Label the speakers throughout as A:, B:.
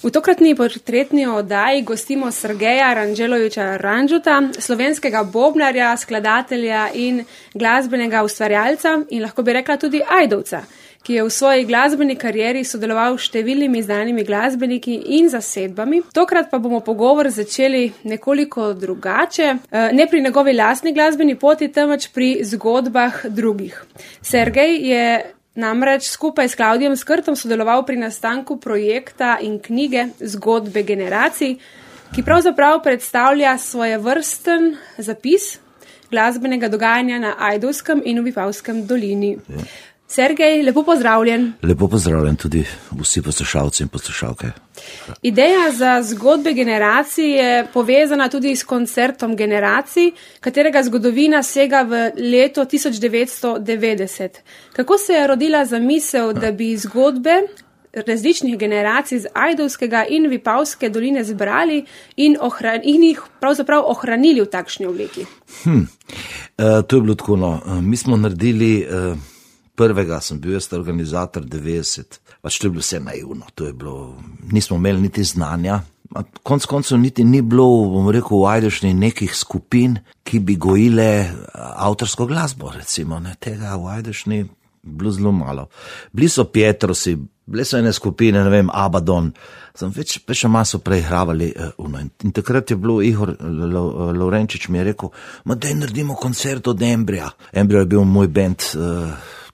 A: V tokratni portretni oddaji gostimo Sergeja Ranđelovića Ranđuta, slovenskega bobnarja, skladatelja in glasbenega ustvarjalca in lahko bi rekla tudi ajdovca, ki je v svoji glasbeni karieri sodeloval s številnimi znanimi glasbeniki in zasedbami. Tokrat pa bomo pogovor začeli nekoliko drugače, ne pri njegovi lastni glasbeni poti, temveč pri zgodbah drugih. Sergej je namreč skupaj s Klavdijem Skrtom sodeloval pri nastanku projekta in knjige Zgodbe generacij, ki pravzaprav predstavlja svojevrsten zapis glasbenega dogajanja na Ajdovskem in v Vipavskem dolini. Ja. Sergej, lepo pozdravljen.
B: Lepo pozdravljen tudi vsi poslušalci in poslušalke.
A: Ideja za Zgodbe generacij je povezana tudi s koncertom generacij, katerega zgodovina sega v leto 1990. Kako se je rodila zamisel, da bi zgodbe različnih generacij z Ajdovskega in Vipavske doline zbrali in jih pravzaprav ohranili v takšni obliki?
B: To je bilo tako, no. Mi smo naredili prvega, sem bil jaz organizator 90, pač to je bilo vse naivno, to je bilo, nismo imeli niti znanja, konc koncev niti ni bilo, bom rekel, v Ajdovščini nekih skupin, ki bi gojile avtorsko glasbo, recimo, ne, tega v Ajdovščini bilo zelo malo. Bili so Pietrosi, bile so ene skupine, ne vem, Abaddon, sem več maso preigravali, in takrat je bilo Ihor Lovrenčič mi je rekel, daj naredimo koncert od Embrija. Embrija je bil moj band,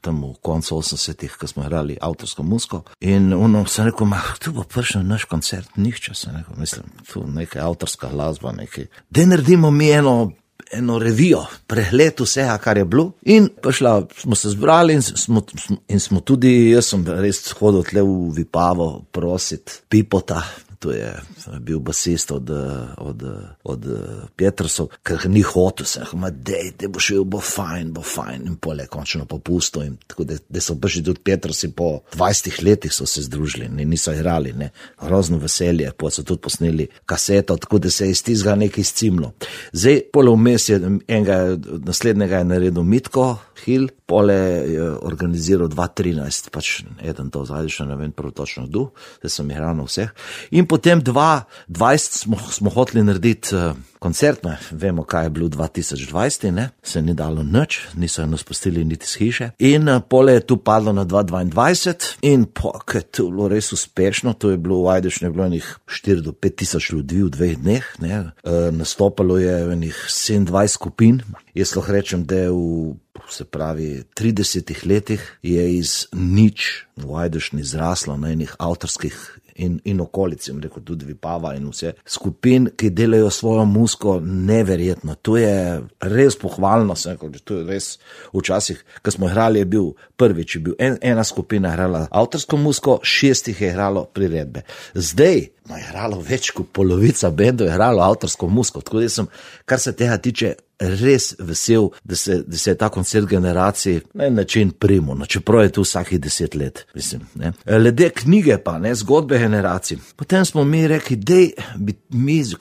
B: tam v koncu 80-ih, ko smo igrali avtorsko muziko. In sem rekel, tu bo prišel naš koncert, nihče, sem rekel, mislim, tu nekaj avtorska glasba, nekaj. Daj naredimo mi eno revijo, pregled vsega, kar je bilo. In smo se zbrali in smo tudi, jaz sem res hodil tle v Vipavo prosit Pipota, to je bil basist od Pietrosov, ker ni hotel, sem rekel, dej bo šel, bo fajn, in pole končno popustil, in tako da so prišli tudi Pietrosi po 20 letih so se združili, niso igrali, ne, grozno veselje, pa so tudi posneli kaseto, tako da se je iz tizga nekaj izcimlo. Zdaj, pole vmes je naslednjega je naredil Mitko Hill, pole je organiziral 2013, pač eden to zadišno, ne vem prav točno kdo, zdaj sem igral na vseh. In potem 2020 smo hoteli narediti koncert, vemo, kaj je bilo 2020, ne, se ni dalo nič, niso nas pustili niti z hiše. In pole je tu padlo na 2022 in ker je to bilo res uspešno, to je bilo v Ajdovščini, je bilo enih 4 do 5 tisoč ljudi v 2 dneh, ne, nastopalo je enih 27 skupin. Jaz lahko rečem, da je se pravi 30 letih je iz nič v Ajdovščini zraslo na enih avtorskih in okolici, rekel tudi Vipava in vse skupin, ki delajo svojo muziko neverjetno. To je res pohvalno, to je res včasih, ko smo igrali, je bil prvič, je bil ena skupina igrala avtorsko muziko, 6 je igralo priredbe. Zdaj je igralo več kot polovica bendov je igralo avtorsko muziko, tako da sem, kar se tega tiče, res vesel, da se je ta koncert generacij na en način primil, čeprav je tu vsakih 10 let, mislim, ne. Glede knjige pa, ne, Zgodbe generacij. Potem smo mi rekli,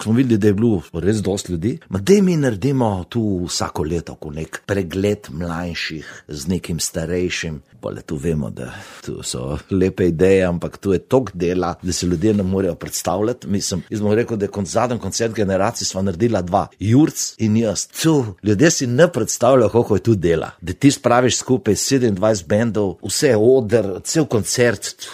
B: smo videli, da je bilo res dosti ljudi, dej mi naredimo tu vsako leto nek pregled mlajših z nekim starejšim. Pole tu vemo, da tu so lepe ideje, ampak tu je toliko dela, da se ljudje ne morejo predstavljati. Mislim, jaz bom rekel, da je zadnji koncert generacij sva naredila 2, Jurc in jaz. Ljudje si ne predstavljajo, koliko je tu dela. Da ti spraviš skupaj 27 bendov, vse oder, cel koncert,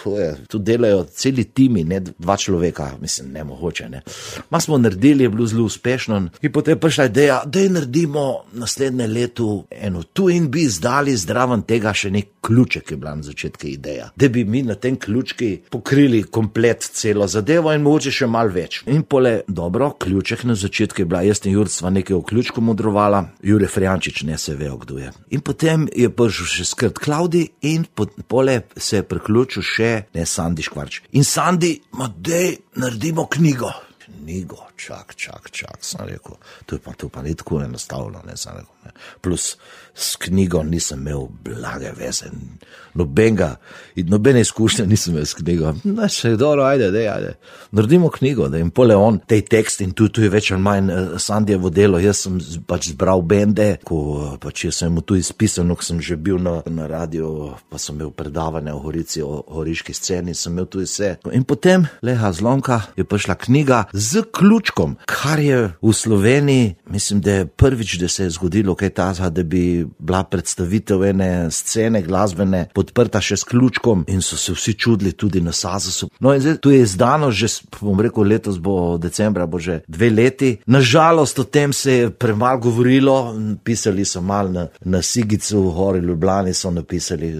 B: tu delajo celi timi, ne 2 človeka, mislim, nemogoče, ne. Ma smo naredili, je bilo zelo uspešno in potem je prišla ideja, da naredimo naslednje leto eno tu in bi izdali zdraven tega še nek ključek, je bila na začetku ideja, da bi mi na tem ključki pokrili komplet celo zadevo in mogoče še malo več. In pole, dobro, ključek na začetku je bila, jaz in Jurc sva nekaj o ključku modrovala, Jure Frijančič ne se vejo, kdo je. In potem je prišel še Skrt Klavdi in pole se je priključil še Sandi Škvarč. In Sandi, dej naredimo knjigo. knjigo, čak, sem rekel, to pa ni tako enostavno, ne, sem rekel, ne. Plus s knjigo nisem imel blage veze, nobene izkušnje nisem imel s knjigo, še dobro, ajde, naredimo knjigo, da jim pole on, tej tekst in tu je več ali manj Sandijevo delo, jaz sem pač zbral bende, ko pač jaz sem mu tu izpisal, ko sem že bil na radio, pa sem imel predavanje o Gorici, o goriški sceni, sem imel tu vse. In potem, leha zlomka, je prišla knjiga z ključkom, kar je v Sloveniji, mislim, da je prvič, da se je zgodilo kaj tazga, da bi bila predstavitev ene scene glasbene podprta še s ključkom in so se vsi čudili tudi na Sazosu. No in zdaj, tu je izdano že, bom rekel, letos bo decembra, bo že 2 leti. Nažalost, o tem se je premalo govorilo, pisali so malo na Sigicu, v Gori Ljubljani so napisali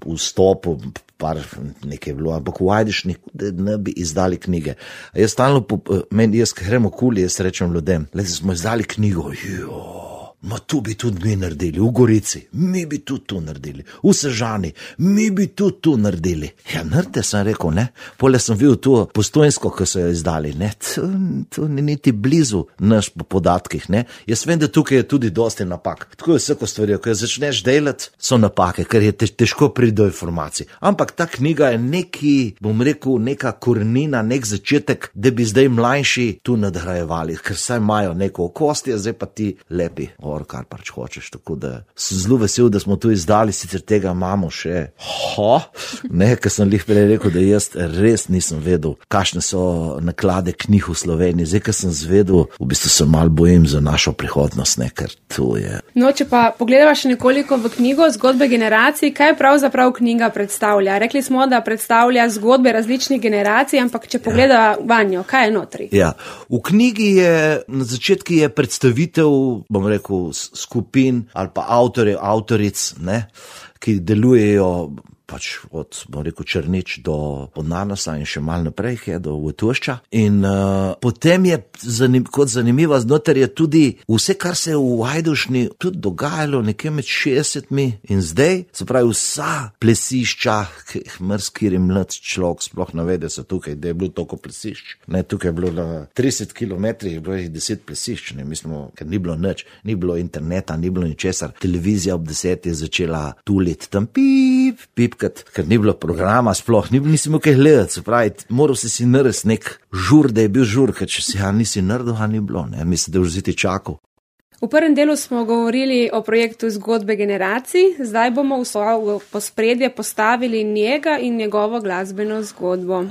B: vstopu, par nekaj je bilo, ampak v Ajdišnih, da ne bi izdali knjige. A jaz stalno, jaz grem okoli, jaz rečem ljudem, smo izdali knjigo, ma tu bi tudi mi naredili, v Gorici, mi bi tudi tu naredili, v Sežani, mi bi tudi tu naredili. Ja, naredite, sem rekel, ne. Pole sem videl tu Postojnsko, ko so jo izdali, ne. Tu ni niti blizu naš po podatkih, ne. Jaz vem, da tukaj je tudi dosti napak. Tako je vsako stvari, ko jo začneš delati, so napake, ker je težko priti do informacij. Ampak ta knjiga je neki, bom rekel, neka korenina, nek začetek, da bi zdaj mlajši tu nadgrajevali, ker saj imajo neko okostje, zdaj pa ti lepi. Kar pač hočeš, tako da sem zelo vesel, da smo tu izdali, sicer tega imamo še, ker sem lih prej rekel, da jaz res nisem vedel, kakšne so naklade knjig v Sloveniji, zdaj, ker sem zvedel, v bistvu se malo bojim za našo prihodnost, ne, ker tu je.
A: No, če pa pogledava še nekoliko v knjigo Zgodbe generacij, kaj pravzaprav knjiga predstavlja? Rekli smo, da predstavlja zgodbe različnih generacij, ampak če pogledava vanjo, kaj je notri?
B: Ja, v knjigi je, na začetku je predstavitev, bom rekel, skupin ali pa avtoric, ne, ki delujejo pač od, bom rekel, Črnič do Nanosa in še malo naprej, do Vojtušča. In potem je kot zanimiva znotraj je tudi vse, kar se je v Ajdušni tudi dogajalo nekje med 60-mi in zdaj, se pravi vsa plesišča, ki jih mrskiri mlad človek sploh navede se tukaj, da je bilo toliko plesišč. Ne, tukaj je bilo na 30 kilometrih, je bilo 10 plesišč, ne, mislimo, ker ni bilo nič, ni bilo interneta, ni bilo ničesar. Televizija ob 10 je začela tuliti tam pip, ker ni bilo programa sploh, nisi imel kaj gledati, se pravi, moral si narediti nek žur, da je bil žur, ker če si nisi naredil, ni bilo, ne, mislim, da už ziti čakal.
A: V prvem delu smo govorili o projektu Zgodbe generacij, zdaj bomo v pospredje postavili njega in njegovo glasbeno zgodbo.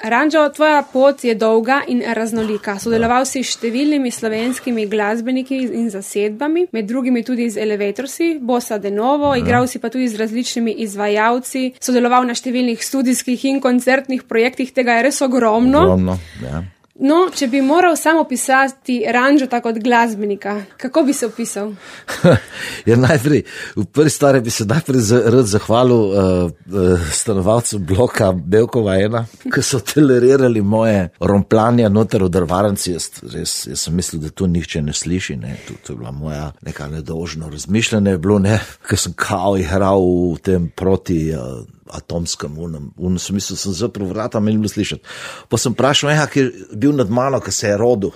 A: Ranđo, tvoja pot je dolga in raznolika. Sodeloval si s številnimi slovenskimi glasbeniki in zasedbami, med drugimi tudi z Elevatorsi, Bossa de Novo, igral si pa tudi z različnimi izvajalci, sodeloval na številnih studijskih in koncertnih projektih, tega je res ogromno.
B: Ja.
A: No, če bi moral samo opisati Ranđota kot glasbenika, kako bi se opisal?
B: Ja, najprej, v prvi stvari bi se najprej rad zahvalil stanovalcu bloka Belkova 1, ki so tolerirali moje rompljanje noter v drvarnici. Jaz sem mislil, da to nihče ne sliši, ne. To je bila moja neka nedolžno razmišljanje, je bilo, ne, ker sem kao igral v tem proti atomskem sem mislil, sem zaprl vrata, me ni bilo slišati. Pa sem vprašal, ki je bil nad mano, ki se je rodil.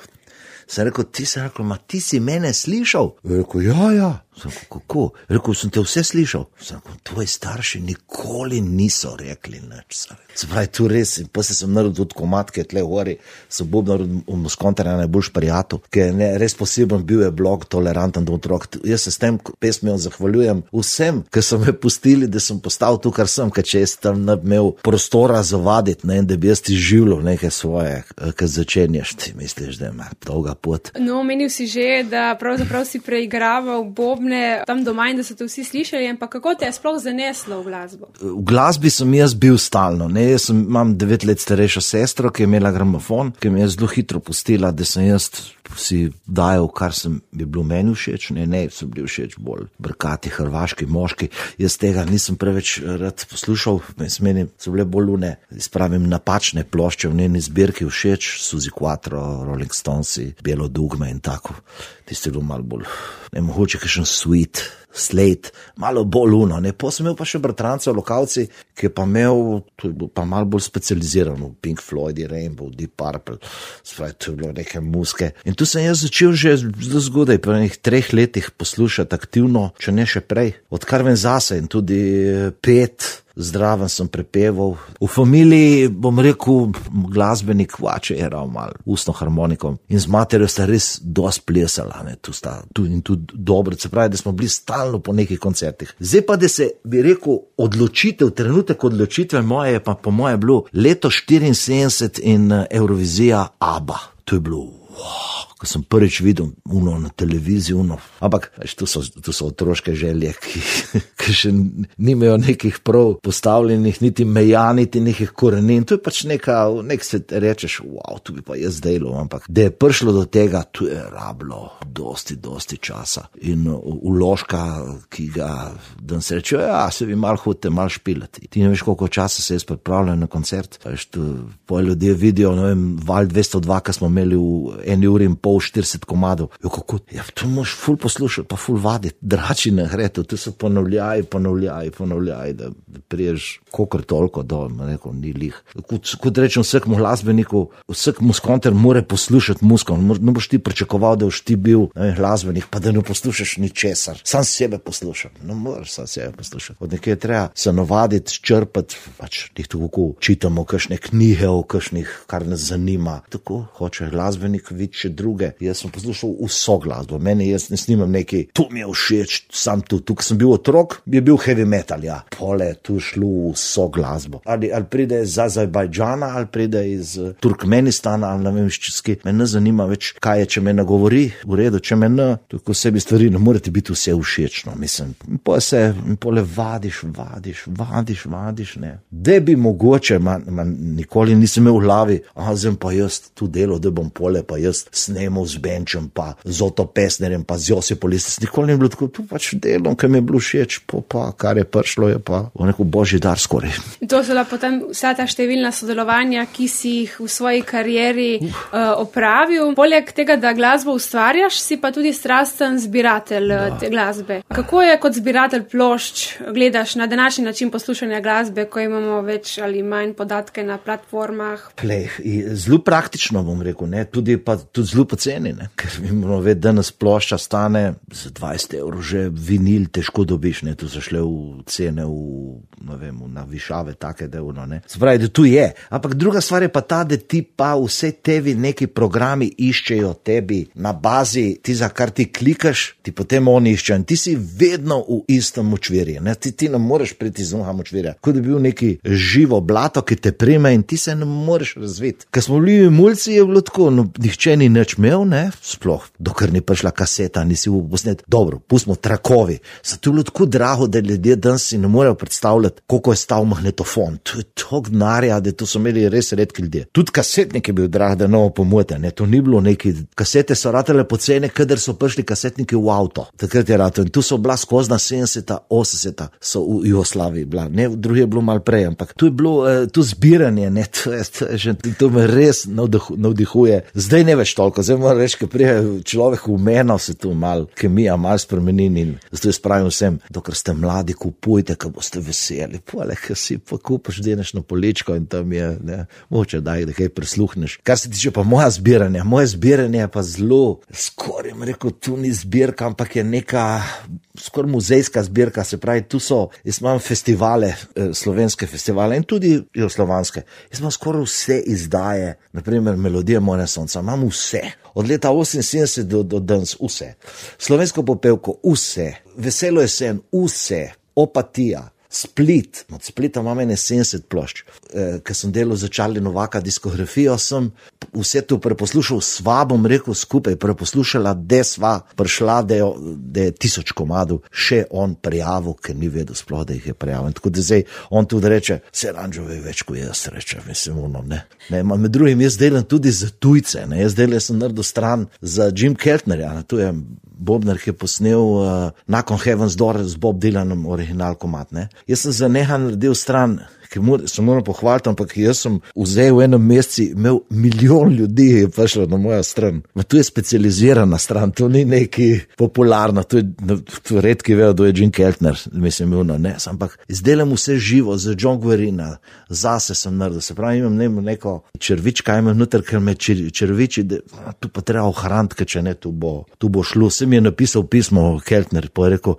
B: Sem rekel, ti si mene slišal? Je rekel, ja. Sem rekel, kako? Rekel, sem te vse slišal. Sem rekel, tvoji starši nikoli niso rekli nič. Se pravi, tu res, in potem sem naredil tudi komad, ki je tle gori, so bubnar v Moskontarja najboljš prijatelj, ki je res poseben bil je blog Toleranten do otrok. Jaz se s tem pesmijo zahvaljujem vsem, ki so me pustili, da sem postal tu, kar sem, ker če jaz tam ne bi imel prostora zavaditi, ne, da bi jaz ti življal nekaj svoje, ki začenjaš, ti misliš, da ima dolga pot.
A: No, omenil si že, da pravzaprav si preigraval bobne tam doma in da so te vsi slišali, ampak kako te je sploh zaneslo v glasbo? V
B: glasbi sem jaz bil stalno, ne. Jaz imam 9 let starejšo sestro, ki je imela gramofon, ki mi je zelo hitro pustila, da sem jaz si dajal, kar bi bilo meni všeč, ne, so bili všeč bolj brkati hrvaški moški. Jaz tega nisem preveč rad poslušal, meni so bile bolj spravim napačne plošče v njeni zbirki všeč, Suzi Quattro, Rolling Stonesi, Belo dugme in tako. Tisti je bilo malo bolj, ne mogoče kakšen Sweet, Slate, malo bolj luno, ne, pa sem imel pa še bratranca v lokalci, ki je pa imel, to je bil pa malo bolj specializiran v Pink Floyd, Rainbow, Deep Purple, spravi, to je bilo neke muske. In tu sem jaz začel že zelo zgodaj, po enih 3 letih poslušati aktivno, če ne še prej, odkar vem zase in tudi pet, zdraven sem prepeval. V familiji, bom rekel, glasbenik vače je ravno malo ustno harmonikom in z materjo sta res dosti plesala, ne, tu in tudi dobro, se pravi, da smo bili stalno po nekih koncertih. Zdaj pa, da se bi rekel trenutek odločitve moje je pa po moje bilo leto 74 in Eurovizija ABBA. To je bilo, ko sem prvič videl na televiziji, ampak tu so otroške želje, ki še nimajo nekih prav postavljenih, niti meja, niti nekih korenin, to je pač nek se rečeš, wow, tu bi pa jaz delal, ampak da je prišlo do tega, tu je rablo dosti časa in vložka, ki ga dan se reče, ja, se vi malo hodite, malo špilati. Ti ne veš, koliko časa se jaz pripravljam na koncert, veš, tu poje ljudje vidijo, ne vem, Val 202, ki smo imeli v 1 uri in pol 40 komadov. Jo, kako? Ja, to moš ful poslušati, pa ful vaditi. Drači ne gre, to so ponavljaj, da priješ kokor toliko do, rekel, ni lih. Kot rečem vsakmu glasbeniku, vsak muskonter mora poslušati musko. Ne boš ti pričakoval, da boš ti bil glasbenik, pa da ne poslušaš ničesar. Sam sebe poslušam. Ne moraš sam sebe poslušati. Od nekaj treba se navaditi, črpati, pač tih tako čitamo kakšne knjige o kakšnih, kar nas zanima. Tako hoče glasbenik videti še druge. Jaz sem poslušal vso glasbo. Meni jaz ne snimam neki, to mi je všeč, sam tu, ko sem bil otrok, je bil heavy metal, ja. Pole, tu šlo vso glasbo. Ali pride iz Azerbajdžana, ali pride iz Turkmenistana, ali ne vem, ščeski. Me ne zanima več, kaj je, če me ne govori, v redu, če me ne, tako sebi stvari, ne morete biti vse všečno, mislim. In pole vadiš, ne. Da bi mogoče, nikoli nisem imel v glavi, zdaj pa jaz tu delo, da bom pole, pa jaz snemal z Benčem, pa z Oto Pesnerjem, pa z Josipolistis, nikoli ni bilo tako, tu pač delom, ki mi je bilo všeč, pa kar je prišlo, je pa v neko božji dar skoraj.
A: In to so da potem vsa ta številna sodelovanja, ki si jih v svoji karieri opravil. Poleg tega, da glasbo ustvarjaš, si pa tudi strasten zbiratelj te glasbe. Kako je kot zbiratelj plošč gledaš na današnji način poslušanja glasbe, ko imamo več ali manj podatke na platformah?
B: Zelo praktično, bom rekel, ne, tudi zelo poceni, ne, ker imamo vedeti, danes plošča stane za 20 evrov, že vinil težko dobiš, ne, tu so šle v cene na višave take, da ne. Spravi, da tu je. Ampak druga stvar je pa ta, da ti pa vse tebi neki programi iščejo tebi na bazi, ti za kar ti klikaš, ti potem oni iščejo in ti si vedno v istem močvirju, ne, ti ne moreš priti iz onega močvirja, kot da bi bil neki živo blato, ki te prime in ti se ne moreš razviti. Ker smo bili mulci, je bilo tako, nihče ni nič imel, ne, sploh, dokler ni prišla kaseta, nisi v posnet, dobro, pustimo trakovi, so to bilo tako drago, da ljudje danes si ne morejo predstavljati, koliko je stal magnetofon, to je toliko denarja, da to so imeli res redki ljudje. Tudi kasetnik je bil drag, da novo pomote, ne, to ni bilo neki, kasete so ratele pocene, kadar so prišli kasetniki v avto, takrat je rato in tu so bila skozna 70, 80 so v Jugoslaviji bila, ne, v drugi je bilo malo prej, ampak tu je bilo, tu zbiranje, ne, to me res navdihuje. Zdaj ne več toliko, zdaj moram reči, ker prije človek v meno se tu mal kemija, mal spremenin in zato jaz pravim vsem, dokler ste mladi, kupujte, ko boste veseli, pole, ker si pa kupaš, deneš na poličko in tam je, ne, moče daj, da kaj prisluhneš. Kar se tiče pa moje zbiranje je pa zelo, skoraj rekel, tu ni zbirka, ampak je neka skoraj muzejska zbirka, se pravi, tu so, jaz imam festivale, slovenske festivale in tudi jugoslovanske. Jaz imam skoraj vse izdaje, naprimer Melodija Mojne sonca, imam vse. Od leta 78 do danes vse. Slovensko popevko vse. Veselo jesen vse. Opatija. Split, od Splita imam 70 plošč, ker sem delal za Charlie Novaka diskografijo, sem vse to preposlušal, sva bom rekel skupaj, preposlušala, da sva prišla, da je 1000 komadov, še on prijavil, ker ni vedel sploh, da jih je prijavil. Tako da zdaj on tudi reče, se Ranžo ve več, kot jaz reče, mislim, ne. Med drugim jaz delam tudi za tujce, ne, jaz sem naredil stran za Jim Keltnerja, tu je Bobnar, ki je posnel Knock on Heaven's Door z Bob Dylanom original komad, ne. Jaz sem za neha naredil stran, se moram pohvaliti, ampak jaz sem vzel v enem meseci, imel milijon ljudi je prišlo na moja stran. Tu je specializirana stran, to ni neki popularna, to redki vejo, da je Jim Keltner, mislim, ne, ampak izdelam vse živo, za John Guarina, zase sem naredil, se pravi, imam neko červička, imam noter, ker me červiči, tu pa treba ohraniti, če ne, tu bo šlo. Se mi je napisal pismo Keltner, pa je rekel,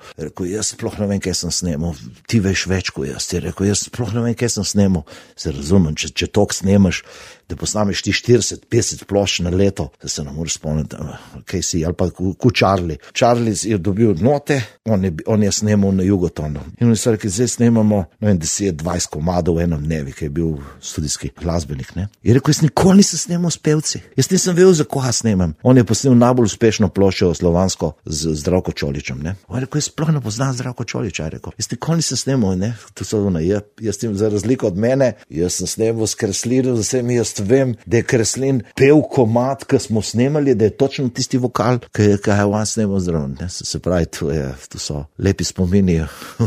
B: jaz sploh ne vem, kaj sem snemal, ti veš več kot jaz, ti rekel, jaz sploh ne vem, kaj sem snemal, se razumem, če tok snemaš, da posnameš ti 40-50 plošč na leto, da se ne moreš spomniti, kaj si, ali pa ko Charlie. Charlie je dobil note, on je snemal na Jugotonu. In oni so rekli, zdaj snemamo, ne vem, 10-20 komadov v enem dnevi, ki je bil studijski glasbenik, ne. Je rekel, jaz nikoli nisem snemal s pevci, jaz nisem vedel, za koga snemam. On je posnel najbolj uspešno ploščo slovansko z Zdravko Čoličem, ne. On je rekel, jaz sploh ne poznam Zdravko Čoliča, je rekel, jaz nikoli nisem snemal, ne. To so ono, jaz tem za razliko od mene, jaz sem snemal s Kreslinom, vsemi jaz vem, da je Kreslin pel komad, ki smo snemali, da je točno tisti vokal, ki je on snemal zraven. Se pravi, to so lepi spomini,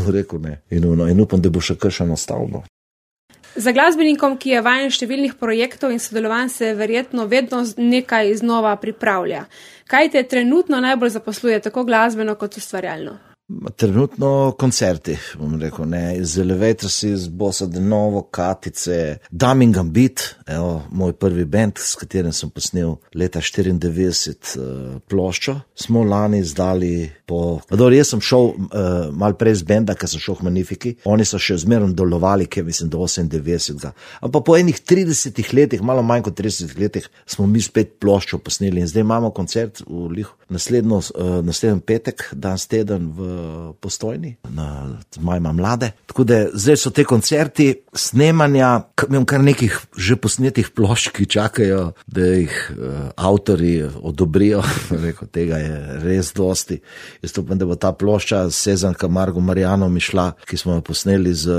B: rekel ne. In upam, da bo še kakšno stavbo.
A: Za glasbenikom, ki je vajen številnih projektov in sodelovanj, se verjetno vedno nekaj znova pripravlja. Kaj te trenutno najbolj zaposluje, tako glasbeno kot ustvarjalno?
B: Trenutno koncerti, bom rekel, ne, iz Elevators, iz Bossa de Novo, Katice, Daming Gambit, evo, moj prvi band, s katerim sem posnel leta 94 ploščo, smo lani izdali jaz sem šel malo prej z benda, ker sem šel v Magnifici, oni so še zmerno delovali, ker mislim do 98. Ampak po enih 30 letih, malo manj kot 30 letih, smo mi spet ploščo posneli in zdaj imamo koncert v naslednji petek, danes teden v Postojni, na Majma mlade. Tako da zdaj so te koncerti, snemanja, imam kar nekih že posnetih plošč, ki čakajo, da jih avtori odobrijo. Rekel, tega je res dosti. Jaz upam, da bo ta plošča Sezan Camargo Mariano Mišla, ki smo jo posneli z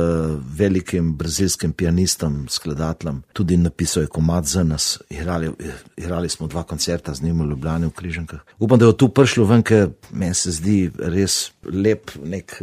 B: velikim brazilskim pianistom, skladateljem, tudi napisal je komad za nas. Igrali smo 2 koncerta z njim v Ljubljani v Križankah. Upam, da je tu prišlo ven, ker meni se zdi res lep nek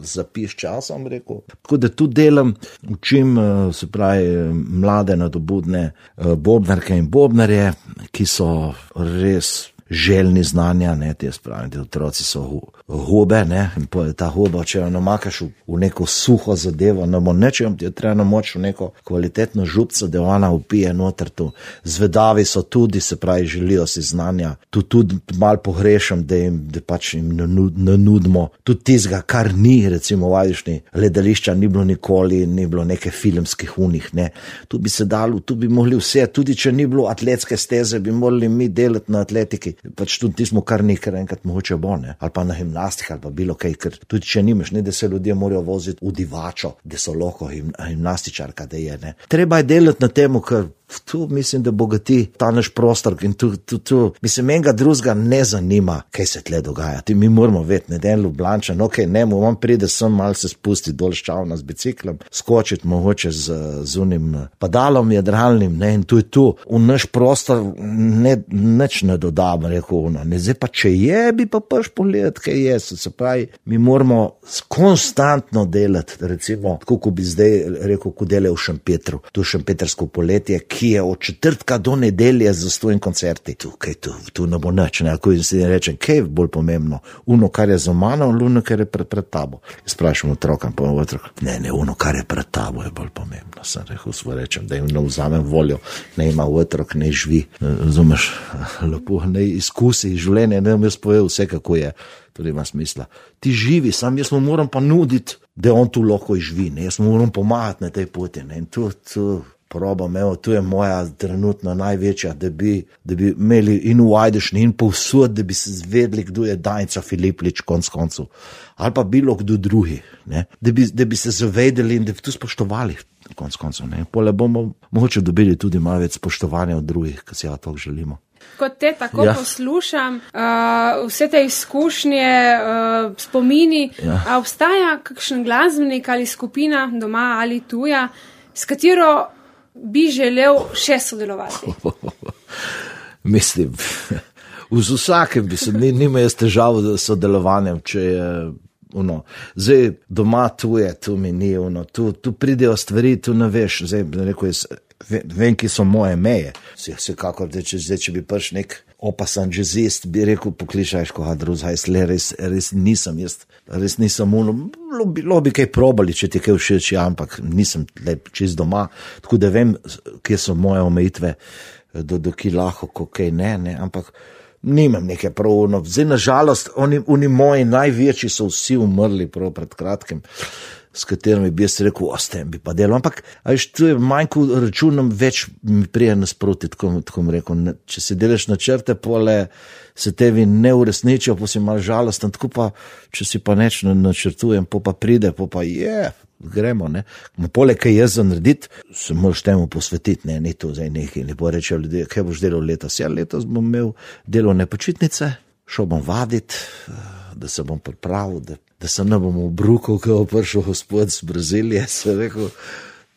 B: zapis časa, bom rekel. Tako da tu delam, učim, se pravi, mlade nadobudne bobnarke in bobnarje, ki so res željni znanja, ne, te spravim, te otroci so hobe, ne, in pa je ta hoba, če jo namakaš v neko suho zadevo, ne bo nečem, ti je treba namoč v neko kvalitetno župco, da ona upije noter tu. Zvedavi so tudi, se pravi, želijo si znanja, tu tudi malo pogrešam, da pač jim nanudimo tudi tizga, kar ni, recimo v Ajdovščini, gledališča ni bilo nikoli, ni bilo neke filmskih unih, ne. Tu bi se dalo, tu bi mogli vse, tudi če ni bilo atletske steze, bi morali mi delati na atletiki, pač tudi tismo kar nekaj enkrat mogoče bo, ne, ali pa na gimnastiki, ali pa bilo kaj, ker tudi če nimaš, ne, da se ljudje morajo voziti v divačo, da so lahko gimnastičarka, da je, ne. Treba je delati na temu, ker tu mislim, da bogati ta naš prostor in tu, mislim, enega drugega ne zanima, kaj se tle dogaja. Mi moramo vedeti, ne, den Ljubljančan, ne, on pride sem, malo se spusti dol ščavna z biciklom, skočiti mogoče z unim padalom jadralnim, ne, in tu je tu. V naš prostor nič ne dodam, rekel, ne, zdaj pa če je, bi pa pač pogledati, kaj je, se pravi, mi moramo konstantno delati, recimo, tako ko bi zdaj rekel, ko delajo v Šempetru, tu Šempetrsko poletje, ki je od četrtka do nedelje za stojim koncerti. Tu ne bo nič, ne, ako si rečem, kaj je bolj pomembno, uno, kar je za mano, uno, kar je pred tabo. Jaz sprašam otrokam, pa otrok, ne, uno, kar je pred tabo, je bolj pomembno. Sem rekel, rečem, da jim ne vzamem voljo, ne ima otrok, ne živi, razumeš, lepo, ne izkusi življenje, ne mi spovejo vse, kako je. To ima smisla. Ti živi, sam jaz mu moram pa nuditi, da on tu lahko živi, ne, jaz mu moram pomagati na tej poti, ne, in tu probam, evo, tu je moja trenutno največja, da bi imeli in v Ajdovščini in povsod, da bi se zvedli, kdo je Danica Filiplič konc koncev, ali pa bilo kdo drugi, ne, da bi se zavedeli in da bi tu spoštovali konc koncev, ne, pole bomo mogoče dobili tudi malo več spoštovanja od drugih, ki si ja to želimo.
A: Kot te tako poslušam, vse te izkušnje, spomini, a obstaja kakšen glasbenik ali skupina doma ali tuja, s katero bi želel še sodelovati?
B: Mislim, z vsakem bi se, nima jaz težav s sodelovanjem, če je zdaj doma tu je, tu mi ni, tu pridejo stvari, tu ne veš, zdaj rekel jaz, vem, ki so moje meje. Vsekakor, če bi priš nek opasan jazzist, bi rekel, poklišajš koga drugega, res nisem, res nisem bilo bi kaj probali, če ti kaj všeč, ampak nisem čist doma, tako da vem, kje so moje omejitve, do ki lahko, kaj ne, ampak nimam neke prav, zdaj nažalost, oni moji največji so vsi umrli prav pred kratkim, s katerimi bi jaz rekel, s tem bi pa delal, ampak tu je manjko računom, več mi prije nasproti, tako mi rekel, če se delaš načrte, pole se tebi ne uresničijo, pa si malo žalosten, tako pa, če si pa neč načrtujem, pa pride, pa gremo, ne. Poleg kaj jaz za narediti, se moraš temu posvetiti, ne, ni to zdaj nekaj, ne bo rečejo ljudje, kaj boš delal letos? Letos bom imel delovne počitnice, šel bom vaditi, da se bom pripravil, da se ne bom obrukal, ko bo prišel gospod z Brazilije, se rekel,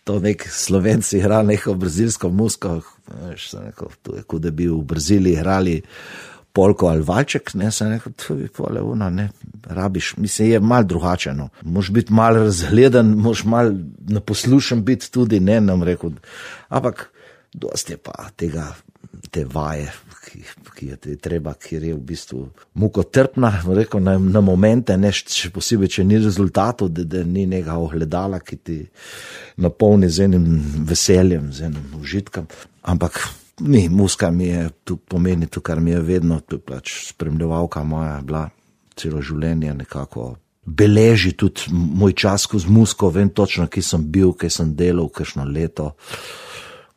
B: to nek Slovenci igra neko brazilsko muziko, veš, se rekel, to je, kot da bi v Braziliji igrali polko ali valček, ne, se rekel, to bi pole ne, rabiš, mislim, je malo drugače, no. Moš biti malo razgledan, moš malo naposlušan biti tudi, ne, nam rekel, ampak dosti je pa te vaje, ki je treba, kjer je v bistvu mukotrpna, rekel, na momente, ne, še posebej, če ni rezultatov, da ni nekega ogledala, ki ti napolni z enim veseljem, z enim užitkom, ampak ni, muska mi je, tu pomeni to, kar mi je vedno, tu pač spremljevalka moja bila celo življenje, nekako beleži tudi moj čas skozi musko, vem točno, kje sem bil, kje sem delal, kakšno leto,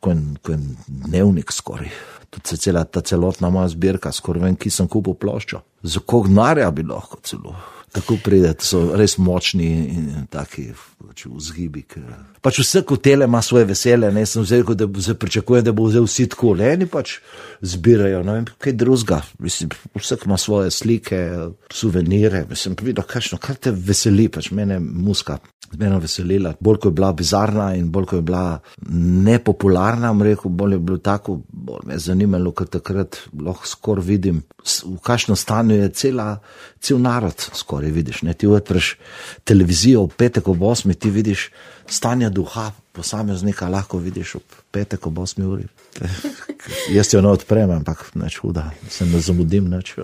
B: ko je dnevnik skoraj. Tudi ta celotna moja zbirka, skoraj vem, kje sem kupil ploščo. Za koliko denarja bi lahko celo. Tako pride, so res močni in taki vzgibi. Pač vse hotele ima svoje veselje, ne, sem vzel, da pričakujem, da bo vzel vsi tako, eni pač zbirajo, ne vem, kaj drugega. Mislim, vsak ima svoje slike, suvenire, mislim, videl, kar te veseli, pač mene muska zmerno veselila. Bolj, ko je bila bizarna in bolj, ko je bila nepopularna, rekel, bolj je bilo tako, bolj me je zanimalo, ker takrat lahko skoraj vidim, v kakšnem stanju je cel narod skoraj vidiš, ne, ti odpreš televizijo v petek ob 8, ti vidiš stanje duha posameznika, lahko vidiš ob petek ob 8 uri. Jaz jo ne odprem, ampak neč huda, se ne zamudim neč.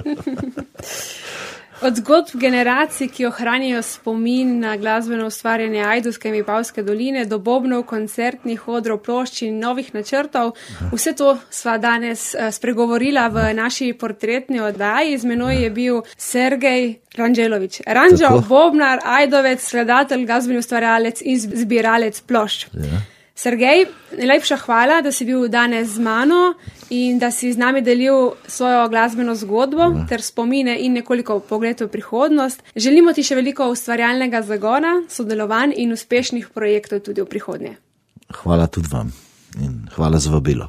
A: Od zgodb generacij, ki ohranjajo spomin na glasbeno ustvarjanje Ajdovske in Vipavske doline, do bobnov, koncertnih odrov, plošč in novih načrtov, vse to sva danes spregovorila v naši portretni oddaji. Z menoj je bil Sergej Ranđelović. Ranđo, bobnar, ajdovec, skladatelj, glasbeni ustvarjalec in zbiralec plošč. Ja. Sergej, najlepša hvala, da si bil danes z mano in da si z nami delil svojo glasbeno zgodbo ter spomine in nekoliko pogled v prihodnost. Želimo ti še veliko ustvarjalnega zagona, sodelovanj in uspešnih projektov tudi v prihodnje.
B: Hvala tudi vam in hvala za vabilo.